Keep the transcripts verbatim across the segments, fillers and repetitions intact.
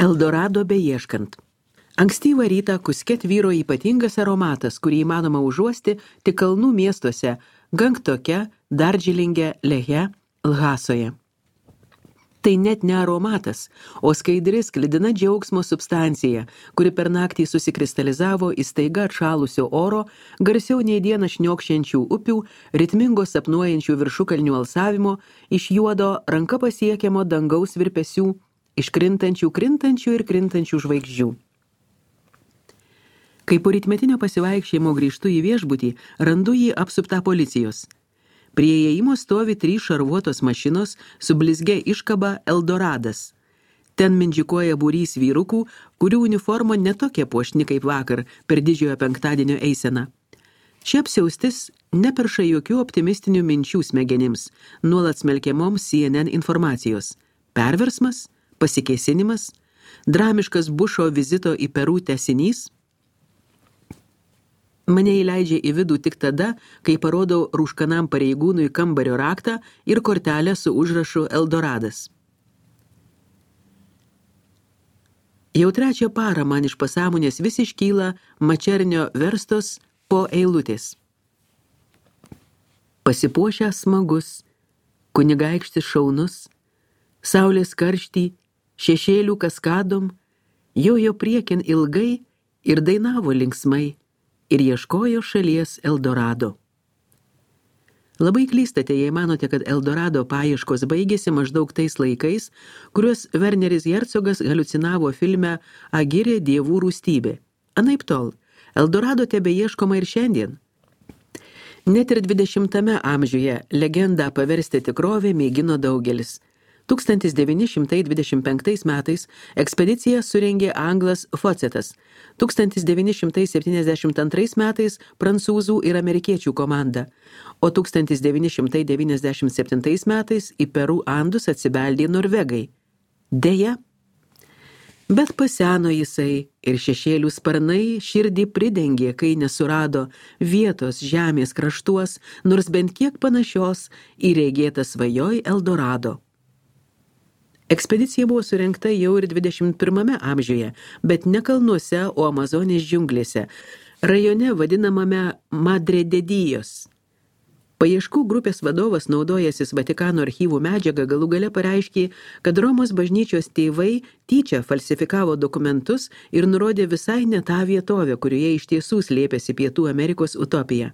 Eldorado beieškant. Ankstyvą rytą Kuske tvyro ypatingas aromatas, kurį įmanoma užuosti tik kalnų miestuose Gangtoke, Dardžilinge, Lehe, Lhasoje. Tai net ne aromatas, o skaidri sklidina džiaugsmo substancija, kuri per naktį susikristalizavo į staiga atšalusio oro, garsiau nei dieną šniokščiančių upių, ritmingo sapnuojančių viršukalnių alsavimo, iš juodo ranka pasiekiamo dangaus virpesių, iš krintančių, krintančių ir krintančių žvaigždžių. Kai po rytmetinio pasivaikščiojimo grįžtu į viešbutį, randu jį apsuptą policijos. Prie įėjimo stovi trys šarvuotos mašinos su blizgia iškaba Eldoradas. Ten mindžikuoja būrys vyrukų, kurių uniforma netokia puošni kaip vakar per didžiojo penktadienio eiseną. Ši apsiaustis neperša jokių optimistinių minčių smegenims, nuolat smelkiamoms C N N informacijos. Perversmas, pasikėsinimas, dramiškas Bušo vizito į Peru tęsinys. Mane įleidžia į vidų tik tada, kai parodau rūškanam pareigūnui kambario raktą ir kortelę su užrašu Eldoradas. Jau trečią parą man iš pasąmonės vis iškyla Mačernio verstos po eilutės. Pasipuošęs smagus, kunigaikštis šaunus, saulės karštį, šešėlių kaskadom, jojo priekin ilgai ir dainavo linksmai. Ir ieškojo šalies Eldorado. Labai klystate, jei manote, kad Eldorado paieškos baigėsi maždaug tais laikais, kuriuos Werneris Herzogas haliucinavo filme Agirė dievų rūstybė. Anaiptol, Eldorado tebeieškoma ir šiandien. Net ir dvidešimtame amžiuje legendą paversti tikrovę mėgino daugelis. tūkstantis devyni šimtai dvidešimt penktais metais ekspediciją surengė anglas Focetas, tūkstantis devyni šimtai septyniasdešimt antrais metais prancūzų ir amerikiečių komanda, o tūkstantis devyni šimtai devyniasdešimt septintais metais į Peru Andus atsibeldė norvegai. Deja, bet paseno jisai ir šešėlių sparnai širdį pridengė, kai nesurado vietos žemės kraštuos, nors bent kiek panašios į regėtą svajoj Eldorado. Ekspedicija buvo surengta jau ir dvidešimt pirmame amžiuje, bet ne kalnuose, o Amazonės džiunglėse, rajone vadinamame Madre de Dios. Paieškų grupės vadovas, naudojasis Vatikano archyvų medžiagą, galų gale pareiškė, kad Romos bažnyčios tėvai tyčia falsifikavo dokumentus ir nurodė visai ne tą vietovę, kurioje iš tiesų slėpėsi Pietų Amerikos utopija.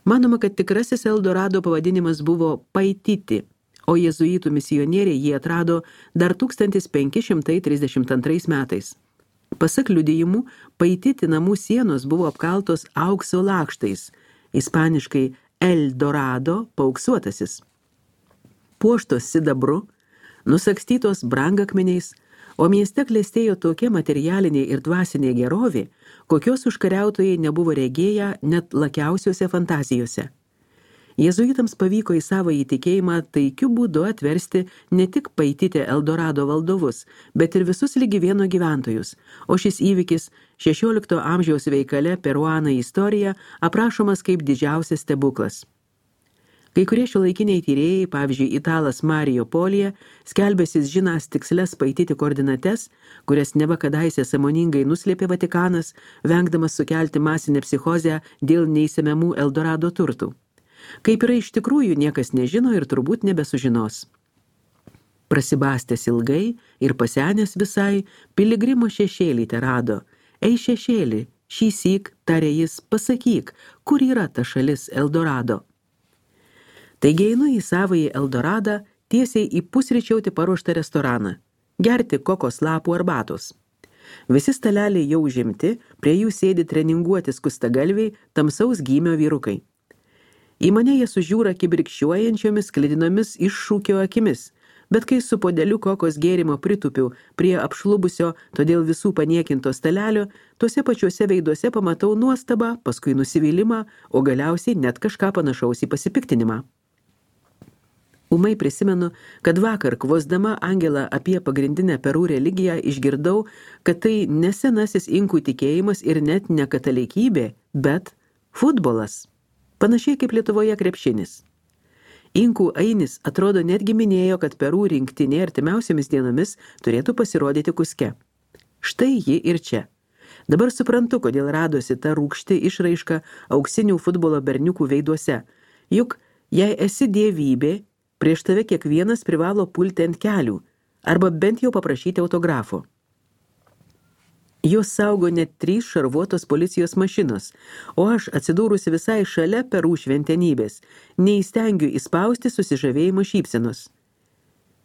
Manoma, kad tikrasis Eldorado pavadinimas buvo Paititi, o jezuitų misionieriai jį atrado dar tūkstantis penki šimtai trisdešimt antrais metais. Pasak liudijimų, Paititi namų sienos buvo apkaltos aukso lakštais, ispaniškai El Dorado paauksuotasis. Puoštos sidabru, nusakstytos brangakmeniais, o mieste klestėjo tokia materialinė ir dvasinė gerovė, kokios užkariautojai nebuvo regėję net lakiausiuose fantazijose. Jezuitams pavyko į savo įtikėjimą taikiu būdu atversti ne tik Paititę Eldorado valdovus, bet ir visus ligi vieno gyventojus, o šis įvykis šešiolikto amžiaus veikale Peruana istorija aprašomas kaip didžiausias stebuklas. Kai kurie šiuolaikiniai tyrėjai, pavyzdžiui, italas Mario Polija, skelbėsis žinąs tikslias Paititi koordinates, kurias neva kadaise sąmoningai nuslėpė Vatikanas, vengdamas sukelti masinę psichozę dėl neįsemiamų Eldorado turtų. Kaip yra iš tikrųjų, niekas nežino ir turbūt nebesužinos. Prasibastęs ilgai ir pasenęs visai, piligrimo šešėlį te rado. Ei šešėlį, šįsyk, tarė jis, pasakyk, kur yra ta šalis Eldorado. Taigi einu į savąjį Eldoradą tiesiai į pusryčiauti paruoštą restoraną, gerti kokos lapų arbatos. Visi staleliai jau užimti, prie jų sėdi treninguoti skustagalviai, tamsaus gymio vyrukai. Į mane jie sužiūra kibirkščiuojančiomis sklidinomis iššūkio akimis, bet kai su podeliu kokos gėrimo pritupiu prie apšlubusio, todėl visų paniekinto stalelio, tuose pačiuose veiduose pamatau nuostabą, paskui nusivylimą, o galiausiai net kažką panašaus į pasipiktinimą. Ūmai prisimenu, kad vakar kvosdama Angelą apie pagrindinę Peru religiją išgirdau, kad tai ne senasis inkų tikėjimas ir net ne katalikybė, bet futbolas. Panašiai kaip Lietuvoje krepšinis. Inkų Ainis atrodo netgi minėjo, kad Peru rinktinė artimiausiamis dienomis turėtų pasirodyti Kuske. Štai ji ir čia. Dabar suprantu, kodėl radosi ta rūgšti išraiška auksinių futbolo berniukų veiduose. Juk, jei esi dievybė, prieš tave kiekvienas privalo pulti ant kelių, arba bent jau paprašyti autografo. Jos saugo net trys šarvuotos policijos mašinos, o aš, atsidūrusi visai šalia Peru šventenybės, neįstengiu įspausti susižavėjimo šypsenos.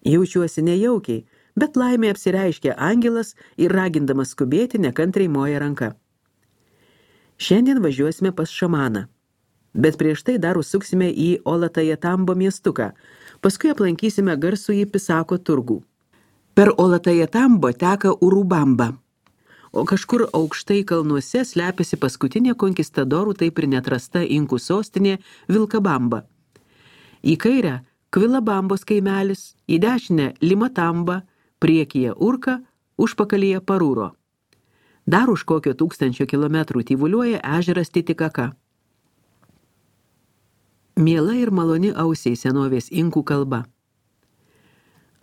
Jaučiuosi nejaukiai, bet laimė apsireiškia angelas ir ragindamas skubėti nekantriai moja ranka. Šiandien važiuosime pas šamaną, bet prieš tai dar užsuksime į Olatajatambo miestuką, paskui aplankysime garsųjį Pisako turgų. Per Olatajatambo teka Urubamba, o kažkur aukštai kalnuose slepiasi paskutinė konkistadorų taip ir neatrasta inkų sostinė Vilkabamba. Į kairę Kvilabambos kaimelis, į dešinę Limatamba, priekyje Urka, užpakalyje Parūro. Dar už kokio tūkstančio kilometrų tyvuliuoja ežeras Titikaka. Miela ir maloni ausiai senovės inkų kalba.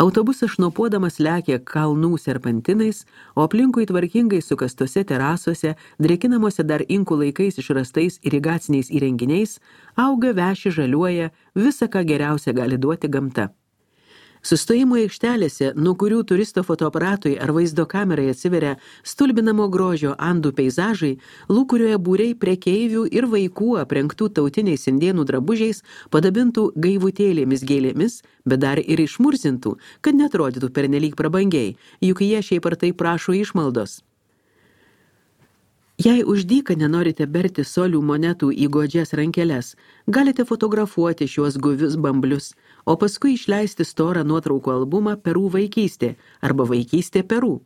Autobusas šnopuodamas lekia kalnų serpantinais, o aplinkui tvarkingai sukastose terasuose, drėkinamuose dar inkų laikais išrastais irigaciniais įrenginiais, auga, veši, žaliuoja, visa, ką geriausia gali duoti gamta. Sustojimo aikštelėse, nuo kurių turisto fotoaparatui ar vaizdo kamerai atsiveria stulbinamo grožio Andų peizažai, lūkurioje būriai prekeivių ir vaikų aprengtų tautiniais indėnų drabužiais, padabintų gaivutėlėmis gėlėmis, bet dar ir išmurzintų, kad netrodytų pernelyg prabangiai, juk jie šiaip ar tai prašo išmaldos. Jei už dyką nenorite berti solių monetų į godžias rankeles, galite fotografuoti šiuos guvius bamblius, o paskui išleisti storą nuotraukų albumą Peru vaikystė arba vaikystė Peru.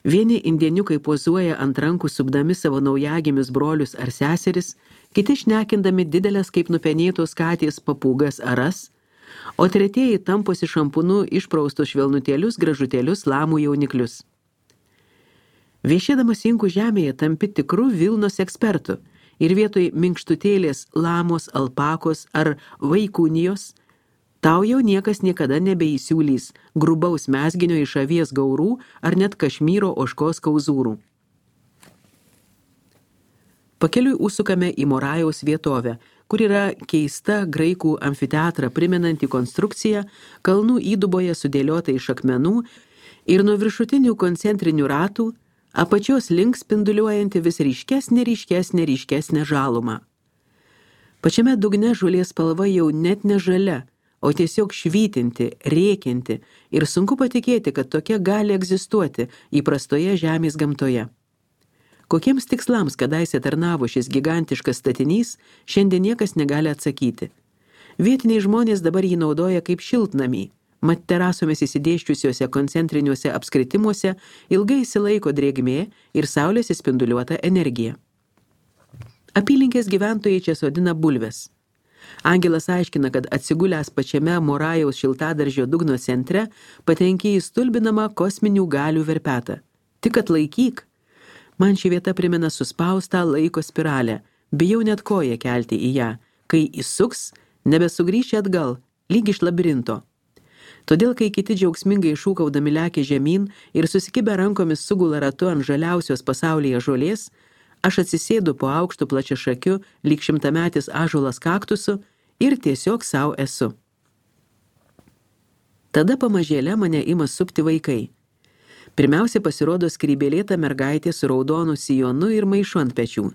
Vieni indieniukai pozuoja ant rankų supdami savo naujagimius brolius ar seseris, kiti šnekindami didelės kaip nupenėtos katės papūgas aras, o tretieji tamposi šampūnu išpraustus švelnutėlius gražutėlius lamų jauniklius. Viešėdamas inkų žemėje tampi tikru Vilnos ekspertu ir vietoj minkštutėlės lamos, alpakos ar vaikūnijos tau jau niekas niekada nebeįsiūlys grubaus mezginio iš avies gaurų ar net Kašmyro ožkos kauzūrų. Pakeliui užsukame į Morajaus vietovę, kur yra keista graikų amfiteatrą primenanti konstrukcija, kalnų įduboje sudėliota iš akmenų ir nuo viršutinių koncentrinių ratų apačios link spinduliuojanti vis ryškesnė, ryškesnė, ryškesnė žaluma. Pačiame dugne žolės spalva jau net ne žalia, o tiesiog švytinti, rėkinti ir sunku patikėti, kad tokia gali egzistuoti įprastoje žemės gamtoje. Kokiems tikslams kadaise tarnavo šis gigantiškas statinys, šiandien niekas negali atsakyti. Vietiniai žmonės dabar jį naudoja kaip šiltnamį, mat terasomis įsidėščiusiuose koncentriniuose apskritimuose ilgai įsilaiko drėgmė ir saulės įspinduliuota energija. Apylinkės gyventojai čia sodina bulves. Angelas aiškina, kad atsigulęs pačiame Morajaus šiltadaržio dugno centre patenki į stulbinamą kosminių galių verpetą. Tik atlaikyk. Man ši vieta primena suspaustą laiko spiralę, bijau net koją kelti į ją, kai įsuks, nebesugrįši atgal, lyg iš labirinto. Todėl, kai kiti džiaugsmingai šūkaudami lekia žemyn ir susikibę rankomis sugula ratu ant žaliausios pasaulyje žolės, aš atsisėdu po aukštų plačiašakiu, lyg šimtametis ąžuolas kaktusu ir tiesiog savo esu. Tada pamažėle mane ima supti vaikai. Pirmiausia pasirodo skrybėlėta mergaitė su raudonu sijonu ir maišu ant pečių.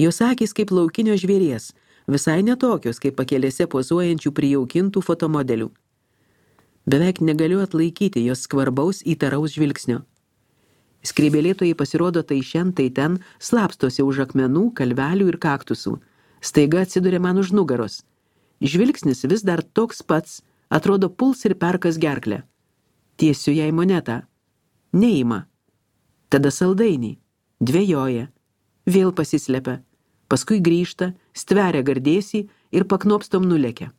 Jos akys kaip laukinio žvėries, visai netokios kaip pakelėse pozuojančių prijaukintų fotomodelių. Beveik negaliu atlaikyti jos skvarbaus įtaraus žvilgsnio. Skrybėlėtojai pasirodo tai šen, tai ten, slapstosi už akmenų, kalvelių ir kaktusų. Staiga atsiduria man už nugaros. Žvilgsnis vis dar toks pats, atrodo puls ir perkas gerklę. Tiesiu jai monetą. Neima. Tada saldainį. Dvejoja. Vėl pasislepia. Paskui grįžta, stveria gardėsį ir paknopstom nulekia.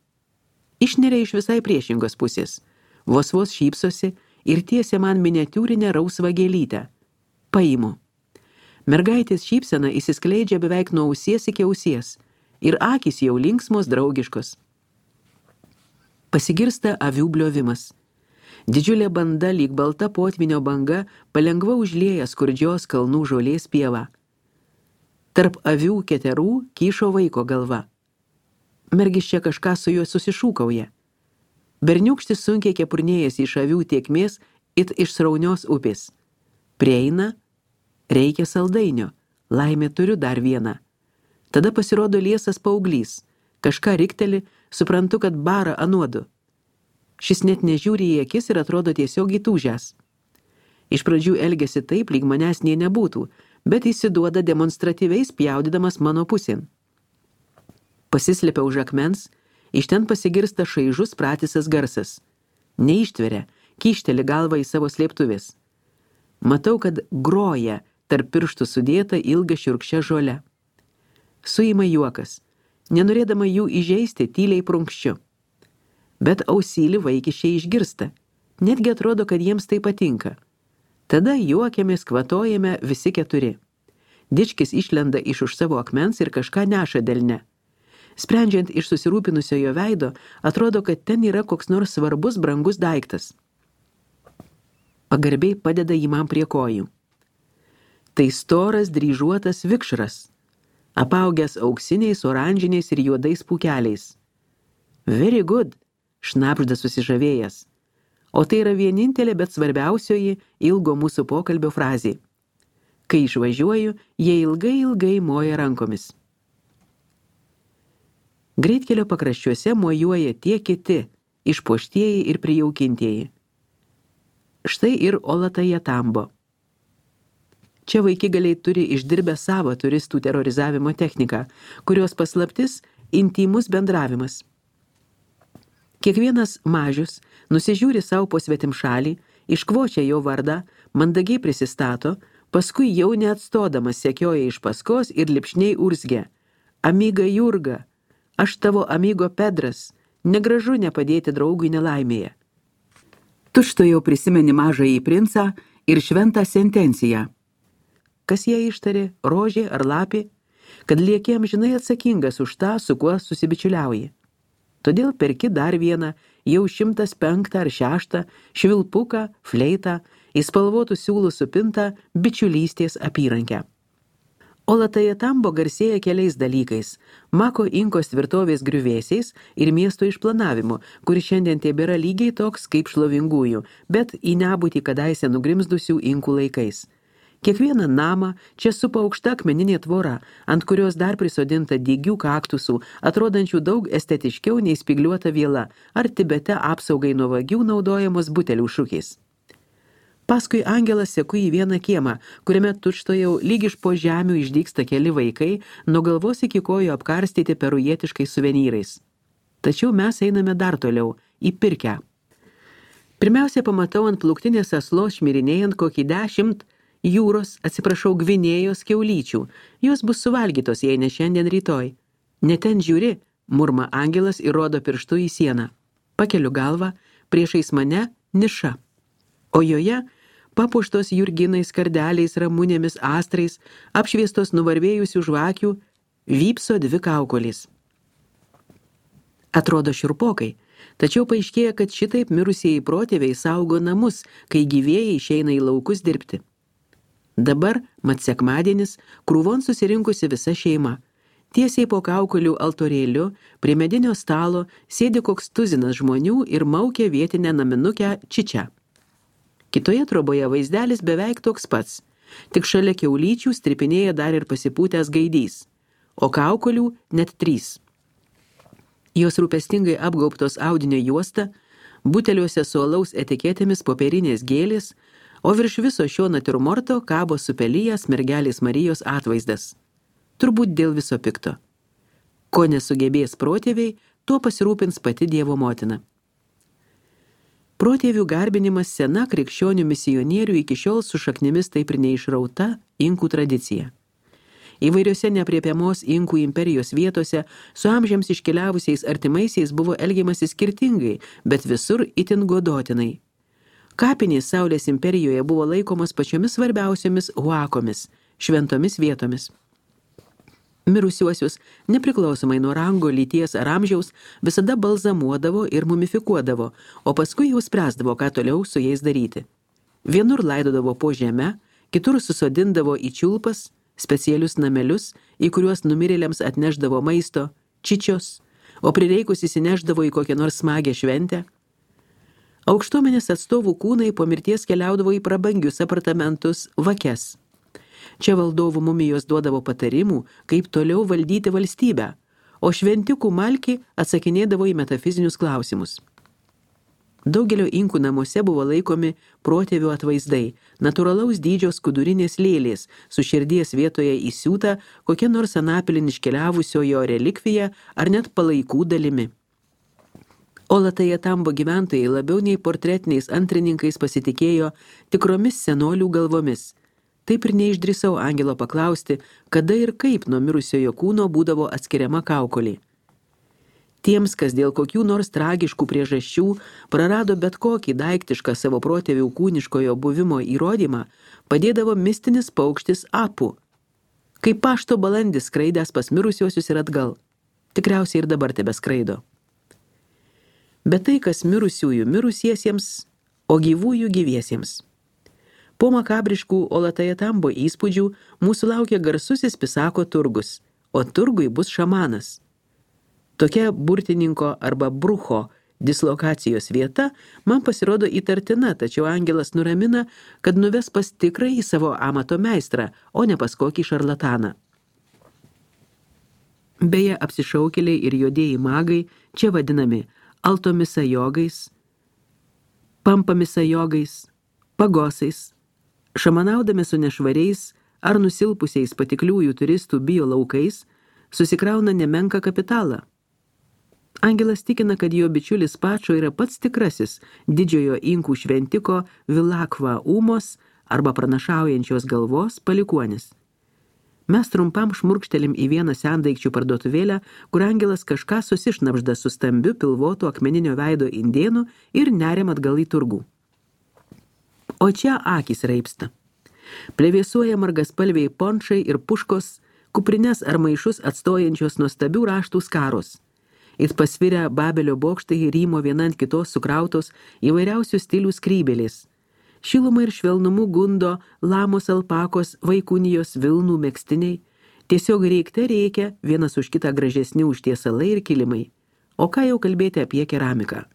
Išneria iš visai priešingos pusės. Vos vos šypsosi ir tiesia man miniatiūrinę rausvą gėlytę. Paimu. Mergaitės šypsena įsiskleidžia beveik nuo ausies iki ausies ir akys jau linksmos draugiškos. Pasigirsta avių bliovimas. Didžiulė banda lyg balta potvinio banga palengva užlieja skurdžios kalnų žolės pievą. Tarp avių keterų kyšo vaiko galva. Mergis čia kažką su juo susišūkauja. Berniūkštis sunkiai kepurnėjasi iš avių tiekmės it iš sraunios upės. Prieina, reikia saldainio, laimė turiu dar vieną. Tada pasirodo liesas paauglys, kažką rikteli, suprantu, kad bara anuodu. Šis net nežiūri į akis ir atrodo tiesiog įtūžęs. Iš pradžių elgėsi taip, lyg manęs nė nebūtų, bet įsiduoda demonstratyviai spjaudydamas mano pusėn. Pasislepia už akmens, iš ten pasigirsta šaižus pratisas garsas. Neištveria, kyšteli galvą į savo slėptuvės. Matau, kad groja tarp pirštų sudėta ilga šiurkščia žole. Suima juokas, nenorėdama jų įžeisti, tyliai prunkščiu. Bet ausylį vaikiščiai išgirsta, netgi atrodo, kad jiems tai patinka. Tada juokiamės, kvatojame visi keturi. Dičkis išlenda iš už savo akmens ir kažką neša delne. Sprendžiant iš susirūpinusiojo veido, atrodo, kad ten yra koks nors svarbus, brangus daiktas. Pagarbiai padeda jį man prie kojų. Tai storas, dryžuotas vikšras, apaugęs auksiniais, oranžiniais ir juodais pūkeliais. Very good, šnabžda susižavėjęs. O tai yra vienintelė, bet svarbiausioji ilgo mūsų pokalbio frazė. Kai išvažiuoju, jie ilgai ilgai moja rankomis. Greitkelio pakraščiuose mojuoja tie kiti, išpuoštieji ir prijaukintieji. Štai ir Olatajatambo. Čia vaikigaliai turi išdirbę savo turistų terorizavimo techniką, kurios paslaptis intymus bendravimas. Kiekvienas mažius nusižiūri savo po svetimšalį, iškvočia jo vardą, mandagiai prisistato, paskui jau neatstodamas sekioja iš paskos ir lipšniai urzgia. Amiga Jurga, aš tavo amigo Pedras, negražu nepadėti draugui nelaimėje. Tučto jau prisimeni mažąjį princą ir šventą sentenciją. Kas jie ištarė, rožė ar lapė, kad lieki amžinai atsakingas už tą, su kuo susibičiuliauji. Todėl perki dar vieną, jau šimtas penktą ar šeštą, švilpuką, fleitą, į spalvotų siūlų supintą bičiulystės apyrankę. Olatajatambo garsėja keliais dalykais – Mako Inkos tvirtovės griuvėsiais ir miesto išplanavimu, kuris šiandien tebėra lygiai toks kaip šlovingųjų, bet į nebūtį kadaise nugrimzdusių Inkų laikais. Kiekvieną namą čia supa aukšta akmeninė tvora, ant kurios dar prisodinta dygių kaktusų, atrodančių daug estetiškiau nei spygliuota viela, ar Tibete apsaugai nuo vagių naudojamos butelių šukės. Paskui angelas seku į vieną kiemą, kuriame tučtojau lyg iš po žemių išdygsta keli vaikai, nuo galvos iki kojų apkarstyti perujietiškais suvenyrais. Tačiau mes einame dar toliau, į pirkę. Pirmiausia, pamatau ant pluktinės aslos šmirinėjant kokį dešimt jūros, atsiprašau, gvinėjos kiaulyčių. Jos bus suvalgytos, jei ne šiandien rytoj. Ne ten žiūri, murma angelas ir rodo pirštu į sieną. Pakeliu galvą, priešais mane niša. O joje papuoštos jurginais, kardeliais, ramunėmis, astrais, apšviestos nuvarvėjusių žvakių, vypso dvi kaukolės. Atrodo šiurpokai, tačiau paaiškėja, kad šitaip mirusieji protėviai saugo namus, kai gyvieji išeina į laukus dirbti. Dabar, mat sekmadienis, krūvon susirinkusi visa šeima. Tiesiai po kaukolių altorėliu, prie medinio stalo, sėdi koks tuzinas žmonių ir maukia vietinę naminukę čičią. Kitoje troboje vaizdelis beveik toks pats, tik šalia kiaulyčių stripinėja dar ir pasipūtęs gaidys, o kaukolių net trys. Jos rūpestingai apgaubtos audinio juosta, buteliuose su alaus etiketėmis popierinės gėlės, o virš viso šio natiurmorto kabo supelyjas mergelės Marijos atvaizdas. Turbūt dėl viso pikto. Ko nesugebės protėviai, tuo pasirūpins pati Dievo motina. Protėvių garbinimas sena krikščionių misionierių iki šiol su šaknimis taip ir neišrauta Inkų tradicija. Įvairiose neaprėpiamos Inkų imperijos vietose su amžiams iškeliavusiais artimaisiais buvo elgiamasi skirtingai, bet visur itin godotinai. Kapinės Saulės imperijoje buvo laikomas pačiomis svarbiausiomis huakomis, šventomis vietomis. Mirusiuosius, nepriklausomai nuo rango, lyties ar amžiaus, visada balzamuodavo ir mumifikuodavo, o paskui jau spręsdavo, ką toliau su jais daryti. Vienur laidodavo po žeme, kitur susodindavo į čiulpas, specialius namelius, į kuriuos numirėliams atneždavo maisto, čičios, o prireikus įsineždavo į kokią nors smagę šventę. Aukštuomenės atstovų kūnai po mirties keliaudavo į prabangius apartamentus, vakes. Čia valdovų mumijos duodavo patarimų, kaip toliau valdyti valstybę, o šventikų malki atsakinėdavo į metafizinius klausimus. Daugelio inkų namuose buvo laikomi protėvių atvaizdai, natūralaus dydžio skudurinės lėlės, su širdies vietoje įsiūta kokia nors anapilin iškeliavusiojo relikvija ar net palaikų dalimi. Olatajatambo gyventojai labiau nei portretiniais antrininkais pasitikėjo tikromis senolių galvomis. Taip ir neišdrįsau angelo paklausti, kada ir kaip nuo mirusiojo kūno būdavo atskiriama kaukolė. Tiems, kas dėl kokių nors tragiškų priežasčių prarado bet kokį daiktišką savo protėvių kūniškojo buvimo įrodymą, padėdavo mistinis paukštis Apu, kaip pašto balandis skraidęs pas mirusiuosius ir atgal. Tikriausiai ir dabar tebeskraido. Bet tai, kas mirusiųjų mirusiesiems, o gyvųjų gyviesiems. Po makabriškų Olatajatambo įspūdžių mūsų laukia garsusis Pisako turgus, o turgui bus šamanas. Tokia burtininko arba brucho dislokacijos vieta man pasirodo įtartina, tačiau angelas nuramina, kad nuves pas tikrąjį savo amato meistrą, o ne pas kokį šarlataną. Beje, apsišaukėliai ir juodieji magai čia vadinami altomisa jogais, pampamisa jogais, pagosais, šamanaudami su nešvariais ar nusilpusiais patikliųjų turistų bio laukais, susikrauna nemenką kapitalą. Angelas tikina, kad jo bičiulis Pačo yra pats tikrasis didžiojo inkų šventiko Vilakva Umos arba pranašaujančios galvos palikuonis. Mes trumpam šmurkštelim į vieną sendaikčių parduotuvėlę, kur angelas kažką susišnapžda su stambiu pilvotu akmeninio veido indėnu ir neriam atgal į turgų. O čia akys raipsta. Plevėsuoja margaspalviai pončai ir puškos, kuprines ar maišus atstojančios nuostabių raštų skaros. It pasvirę Babelio bokštai rymo viena ant kitos sukrautos įvairiausių stilių skrybėlės. Šilumą ir švelnumu gundo lamos alpakos, vaikunijos, vilnų megstiniai. Tiesiog reikte reikia vienas už kitą gražesni užtiesalai ir kilimai. O ką jau kalbėti apie keramiką?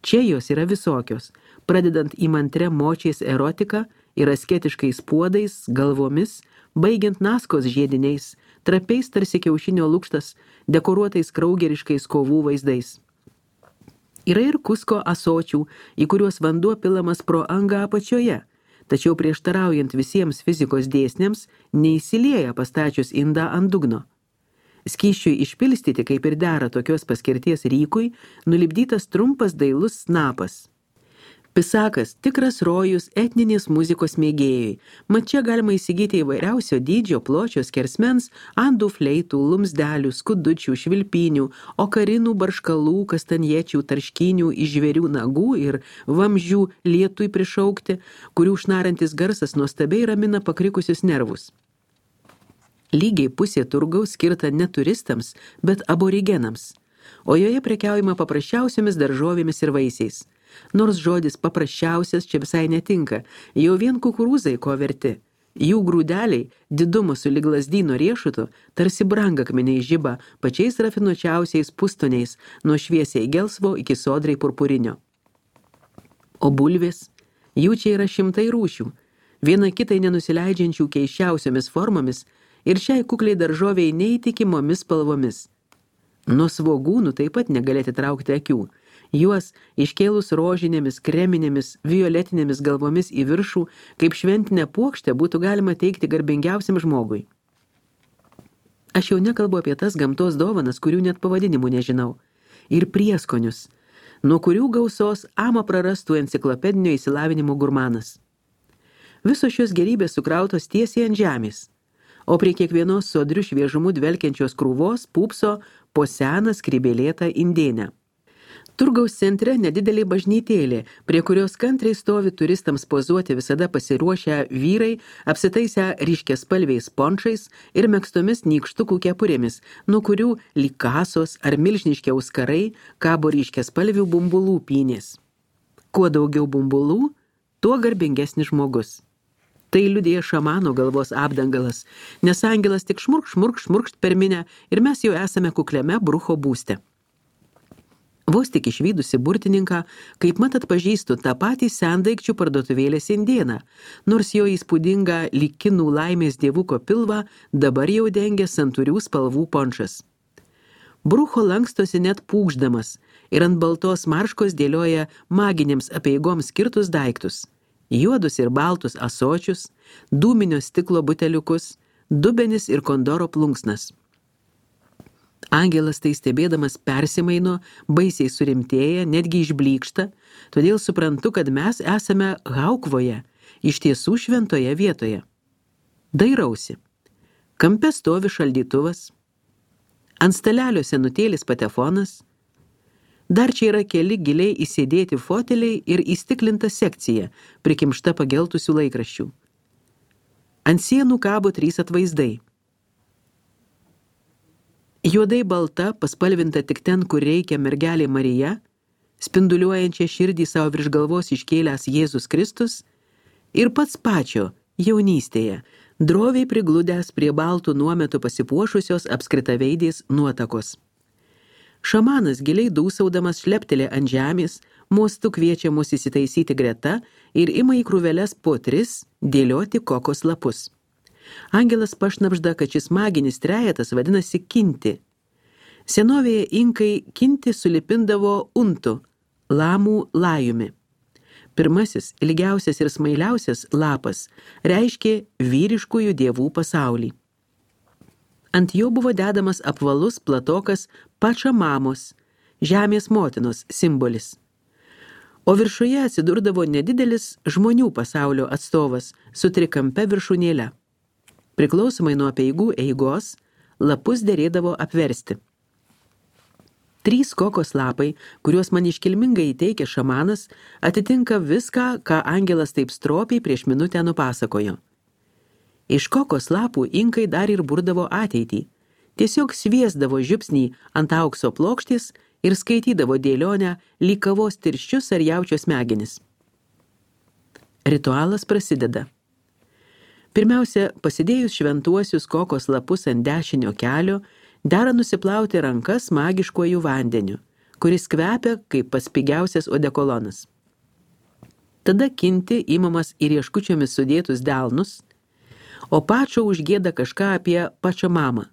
Čia jos yra visokios, pradedant įmantre močiais erotika ir asketiškais puodais, galvomis, baigiant naskos žiediniais, trapiais tarsi kiaušinio lukštas, dekoruotais kraugeriškais kovų vaizdais. Yra ir kusko asočių, į kuriuos vanduo pilamas pro angą apačioje, tačiau prieštaraujant visiems fizikos dėsniams, neįsilieja pastačius indą ant dugno. Skysčiui išpilstyti, kaip ir dera tokios paskirties rykui, nulipdytas trumpas dailus snapas. Pisakas – tikras rojus etninės muzikos mėgėjai, mat čia galima įsigyti įvairiausio dydžio, pločio, skersmens, andų fleitų, lumsdelių, skudučių, švilpinių, okarinų, barškalų, kastanječių, tarškinių, iš žvėrių nagų ir vamzdžių lietui prišaukti, kurių šnarantis garsas nuostabiai ramina pakrikusius nervus. Lygiai pusė turgaus skirta ne turistams, bet aborigenams, o joje prekiaujama paprasčiausiomis daržovėmis ir vaisiais. Nors žodis paprasčiausias čia visai netinka, jau vien kukurūzai ko verti. Jų grūdeliai, didumo sulig lazdyno riešutu, tarsi brangakmeniai žiba pačiais rafinuočiausiais pustoniais, nuo šviesiai gelsvo iki sodrai purpurinio. O bulvės, jų čia yra šimtai rūšių, viena kitai nenusileidžiančių keiščiausiomis formomis ir šiai kukliai daržoviai neįtikimomis spalvomis. Nuo svogūnų taip pat negalėti traukti akių. Juos iškėlus rožinėmis, kreminėmis, violetinėmis galvomis į viršų, kaip šventinę puokštę būtų galima teikti garbingiausiam žmogui. Aš jau nekalbu apie tas gamtos dovanas, kurių net pavadinimų nežinau. Ir prieskonius, nuo kurių gausos amą prarastų enciklopedinio išsilavinimo gurmanas. Visos šios gerybės sukrautos tiesiai ant žemės, o prie kiekvienos sodrių šviežumų dvelkiančios krūvos pūpso po seną skrybėlėtą indėnę. Turgaus centre nedidelė bažnytėlė, prie kurios kantriai stovi turistams pozuoti visada pasiruošę vyrai, apsitaisę ryškiaspalviais pončais ir megztomis nykštukų kepurėmis, nuo kurių lyg kasos ar milžiniški auskarai kabo ryškiaspalvių bumbulų pynės. Kuo daugiau bumbulų, tuo garbingesnis žmogus. Tai liudija šamano galvos apdangalas, nes angelas tik šmurk, šmurk, šmurkšt per minę ir mes jau esame kukliame brucho būste. Vos tik išvydusi burtininką, kaip mat atpažįstu tą patį sendaikčių parduotuvėlės indėną, nors jo įspūdinga lyg kinų laimės dievuko pilvą dabar jau dengia santūrių spalvų pončas. Brucho lankstosi net pūkšdamas ir ant baltos marškos dėlioja maginėms apeigoms skirtus daiktus – juodus ir baltus ąsočius, dūminio stiklo buteliukus, dubenis ir kondoro plunksnas. Angelas tai stebėdamas persimaino, baisiai surimtėja, netgi išblykšta, todėl suprantu, kad mes esame Haukvoje, iš tiesų šventoje vietoje. Dairausi. Kampe stovi šaldytuvas, ant stalelio senutėlis patefonas, dar čia yra keli giliai įsėdėti foteliai ir įstiklinta sekcija, prikimšta pageltusių laikraščių. Ant sienų kabo trys atvaizdai. Juodai balta, paspalvinta tik ten, kur reikia mergelė Marija, spinduliuojančia širdį savo virš galvos iškėlęs Jėzus Kristus ir pats pačio jaunystėje, droviai prigludęs prie baltų nuometų pasipuošusios apskritaveidės nuotakos. Šamanas giliai dūsaudamas šleptelė ant žemės, mostu kviečia mus įsitaisyti greta ir ima į krūveles po tris dėlioti kokos lapus. Angelas pašnabžda, kad šis maginis trejetas vadinasi kinti. Senovėje inkai kinti sulipindavo untu, lamų lajumi. Pirmasis, ilgiausias ir smailiausias lapas reiškė vyriškųjų dievų pasaulį. Ant jo buvo dedamas apvalus platokas Pačamamos, žemės motinos simbolis. O viršuje atsidurdavo nedidelis žmonių pasaulio atstovas su trikampe viršūnėle. Priklausomai nuo apeigų eigos, lapus derėdavo apversti. Trys kokos lapai, kuriuos man iškilmingai įteikė šamanas, atitinka viską, ką angelas taip stropiai prieš minutę nupasakojo. Iš kokos lapų inkai dar ir burdavo ateitį. Tiesiog sviesdavo žiupsnį ant aukso plokštės ir skaitydavo dėlionę lyg kavos tirščius ar jaučio smegenis. Ritualas prasideda. Pirmiausia, pasidėjus šventuosius kokos lapus ant dešinio kelio, dera nusiplauti rankas magiškuoju vandeniu, kuris kvepia kaip pats pigiausias odekolonas. Tada kinti imamas į rieškučiomis sudėtus delnus, o pačio užgieda kažką apie Pačamamą.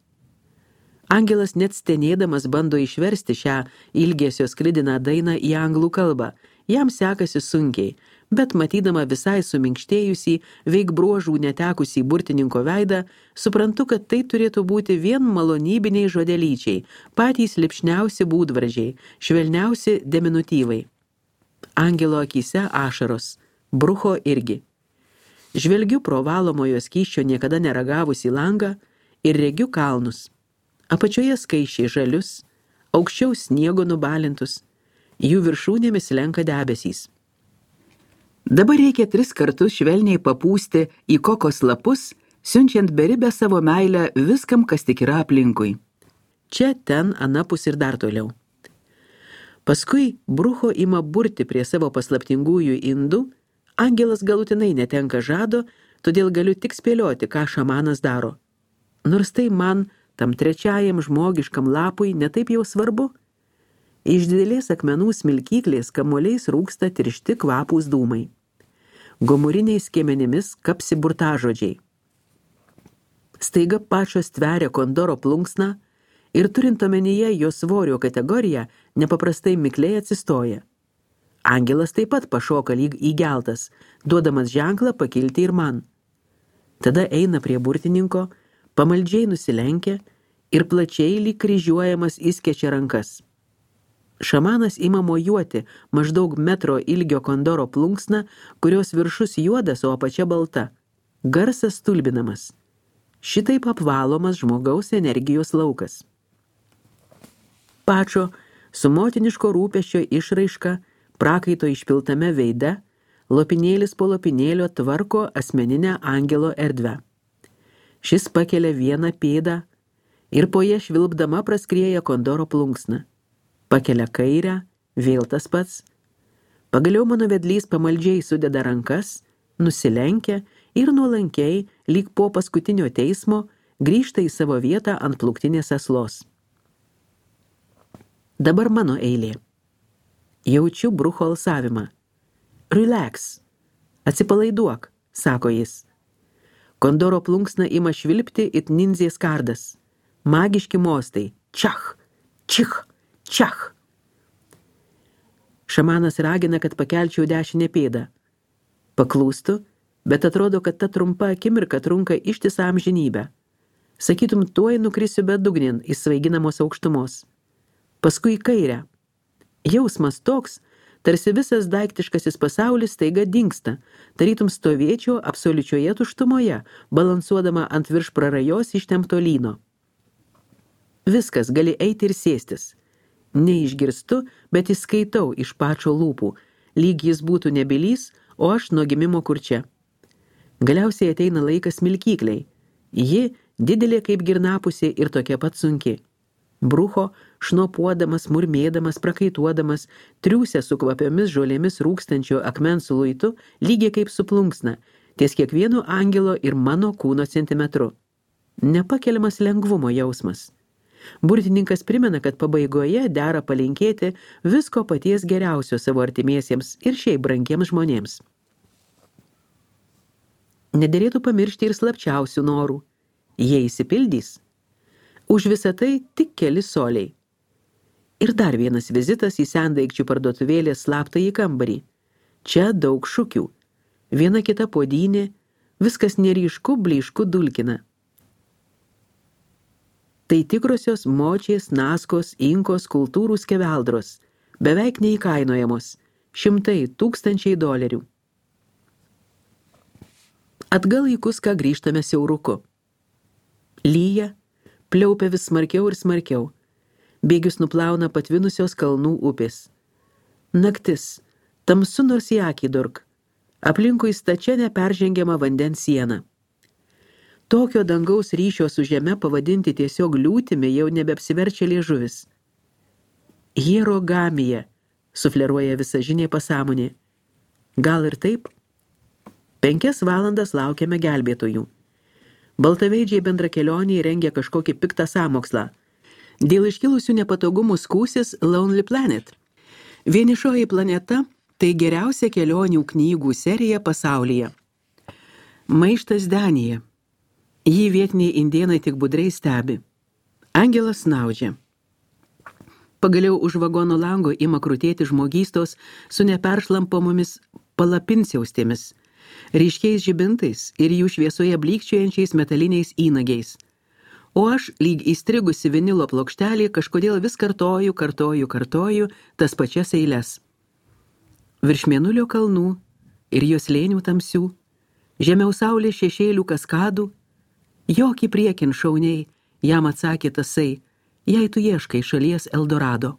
Angelas net stenėdamas bando išversti šią ilgesio sklidiną dainą į anglų kalbą. Jam sekasi sunkiai, bet matydama visai suminkštėjusį, veik bruožų netekusį burtininko veidą, suprantu, kad tai turėtų būti vien malonybiniai žodelyčiai, patys lipšniausi būdvardžiai, švelniausi deminutyvai. Angelo akyse ašaros, brucho irgi. Žvelgiu pro valomojo skysčio niekada neragavusį langą ir regiu kalnus. Apačioje skaičiai žalius, aukščiau sniego nubalintus, jų viršūnėmis lenka debesys. Dabar reikia tris kartus švelniai papūsti į kokos lapus, siunčiant beribę savo meilę viskam, kas tik yra aplinkui. Čia, ten, anapus ir dar toliau. Paskui brucho ima burti prie savo paslaptingųjų indų, angelas galutinai netenka žado, todėl galiu tik spėlioti, ką šamanas daro. Nors tai man, tam trečiajam žmogiškam lapui, netaip jau svarbu. Iš didelės akmenų smilkyklės kamuoliais rūksta tiršti kvapūs dūmai. Gomuriniais skiemenimis kapsi burtažodžiai. Staiga pačios tveria kondoro plunksną ir turint omenyje jo svorio kategoriją, nepaprastai mikliai atsistoja. Angelas taip pat pašoka lyg įgeltas, duodamas ženklą pakilti ir man. Tada eina prie burtininko, pamaldžiai nusilenkia ir plačiai lyg kryžiuojamas įskečia rankas. Šamanas ima mojuoti maždaug metro ilgio kondoro plunksną, kurios viršus juodas, o apačia balta. Garsas stulbinamas. Šitaip apvalomas žmogaus energijos laukas. Pačio su motiniško rūpesčio išraiška, prakaito išpiltame veide, lopinėlis po lopinėlio tvarko asmeninę angelo erdvę. Šis pakelia vieną pėdą ir po ją švilpdama praskrieja kondoro plunksną. Pakelia kairę, vėl tas pats. Pagaliau mano vedlys pamaldžiai sudeda rankas, nusilenkia ir nuolankiai, lyg po paskutinio teismo, grįžta į savo vietą ant plūktinės aslos. Dabar mano eilė. Jaučiu brucho alsavimą. Relax. Atsipalaiduok, sako jis. Kondoro plunksna ima švilpti it ninzės kardas. Magiški mostai. Čach, čich, čach. Šamanas ragina, kad pakelčiau dešinę pėdą. Paklūstu, bet atrodo, kad ta trumpa akimirka trunka ištisą amžinybę. Sakytum, tuoj nukrisiu bedugnin į svaiginamos aukštumos. Paskui į kairę. Jausmas toks, tarsi visas daiktiškasis pasaulis staiga dingsta, tarytum stovėčiau absoliučioje tuštumoje, balansuodama ant virš prarajos ištempto lyno. Viskas, gali eiti ir sėstis. Neišgirstu, bet įskaitau iš pačio lūpų, lyg jis būtų nebylys, o aš nuo gimimo kurčia. Galiausiai ateina laikas smilkykliai. Ji didelė kaip girnapusė ir tokia pat sunki. Brucho, šnopuodamas, murmėdamas, prakaituodamas, triūsia su kvapiomis žolėmis rūkstančio akmens luitu, lygiai kaip su plunksna, ties kiekvienu angelo ir mano kūno centimetru. Nepakeliamas lengvumo jausmas. Burtininkas primena, kad pabaigoje dera palinkėti visko paties geriausio savo artimiesiems ir šiaip brangiems žmonėms. Nederėtų pamiršti ir slapčiausių norų. Jie įsipildys. Už visą tai tik keli soliai. Ir dar vienas vizitas į sendaikčių parduotuvėlės slaptąjį kambarį. Čia daug šukių. Viena kita puodynė, viskas neryšku, blyšku dulkina. Tai tikrosios močiės, naskos, inkos kultūrų skeveldros, beveik neįkainojamos, šimtai, tūkstančiai dolerių. Atgal į Kuską grįžtame siauruku. Lyja, pliaupia vis smarkiau ir smarkiau. Bėgius nuplauna patvinusios kalnų upės. Naktis, tamsu nors į akį durk. Aplinkui stačia neperžengiama vandens siena. Tokio dangaus ryšio su žeme pavadinti tiesiog liūtimi jau nebeapsiverčia liežuvis. Hierogamija, sufleruoja visažinė pasąmonė. Gal ir taip? Penkias valandas laukiame gelbėtojų. Baltaveidžiai bendrakelionėje rengia kažkokį piktą sąmokslą. Dėl iškilusių nepatogumų skūsis Lonely Planet. Vienišoji planeta – tai geriausia kelionių knygų serija pasaulyje. Maištas Danija. Jį vietiniai indėnai tik budriai stebi. Angelas snaudžia. Pagaliau už vagono lango ima krutėti žmogystos su neperšlampamomis palapinsiaustėmis, ryškiais žibintais ir jų šviesoje blykčiojančiais metaliniais įnagiais. O aš, lyg įstrigusi vinilo plokštelį, kažkodėl vis kartoju, kartoju, kartoju tas pačias eiles. Virš mėnulio kalnų ir jos slėnių tamsių, žemiau saulės šešėlių kaskadų, jokį priekin šauniai, jam atsakė tasai, jei tu ieškai šalies Eldorado.